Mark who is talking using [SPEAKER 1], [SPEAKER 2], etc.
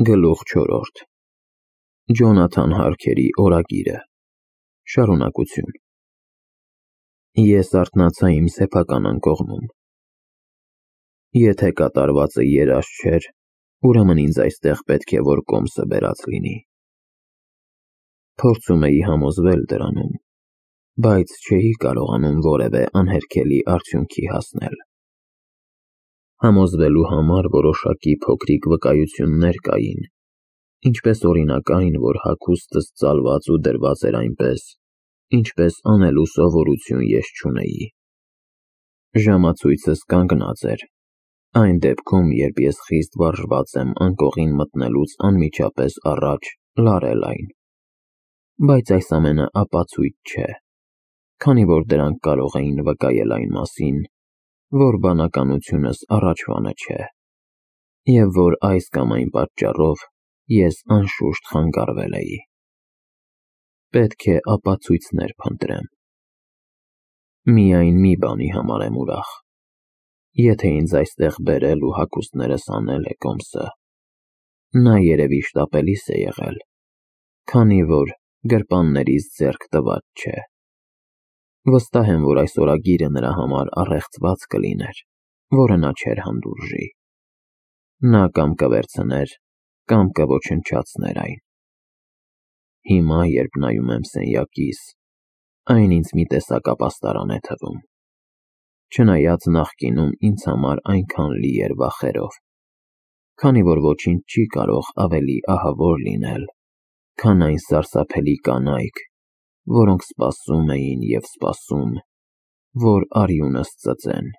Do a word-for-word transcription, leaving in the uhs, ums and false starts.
[SPEAKER 1] Գլուխ չորրորդ Ջոնաթան Հարքերի օրագիրը Շարունակություն Ես արթնացա իմ սեփական անկողնում։ Եթե կատարվածը երազ չէր, ուրեմն ինձ այստեղ պետք է որ կոմսը բերած լինի։ Փորձում էի համոզվել դրանում, բայց չէի կարողանում որևէ անհերքելի արդյունքի հասնել։ Համոզվելու համար որոշակի փոքրիկ վկայություններ կային, ինչպես օրինակ այն, որ հագուստս ծալված ու դրված էր այնպես, ինչպես անելու սովորություն ես չունեի։ Ժամացույցս կանգնած էր, այն դեպքում, երբ ես խիստ վարժված եմ անկողին մտնելուց անմիջապես առաջ լարել այն։ Բայց այս ամենը ապացույց չէ, քանի որ դրանք կարող էին վկայել այն մասին, որ բանականությունս առաջվանը չէ, և որ այս կամ այն պատճառով ես անշուշտ խանգարվել էի։ Պետք է ապացույցներ փնտրեմ։ Միայն մի բանի համար եմ ուրախ։ Եթե ինձ այստեղ բերել ու հագուստներս անել է կոմսը, նա երևի շտապելիս է եղել, քանի որ գրպաններից ձեռք տված չէ։ Վստահ եմ, որ այս օրագիրը նրա համար առեղծված կլիներ, որը նա չէր հանդուրժի։ Նա կամ կվերցներ, կամ կոչնչացներ այն։ Հիմա, երբ նայում եմ սենյակիս, այն ինձ մի տեսակ ապաստարան է թվում, չնայած նախկինում ինձ համար այնքան լի էր վախերով, քանի որ ոչինչ չի կարող ավելի ահավոր լինել, քան այն սարսափելի կանայք, որոնք սպասում էին և սպասում, որ արյունս ծծեն։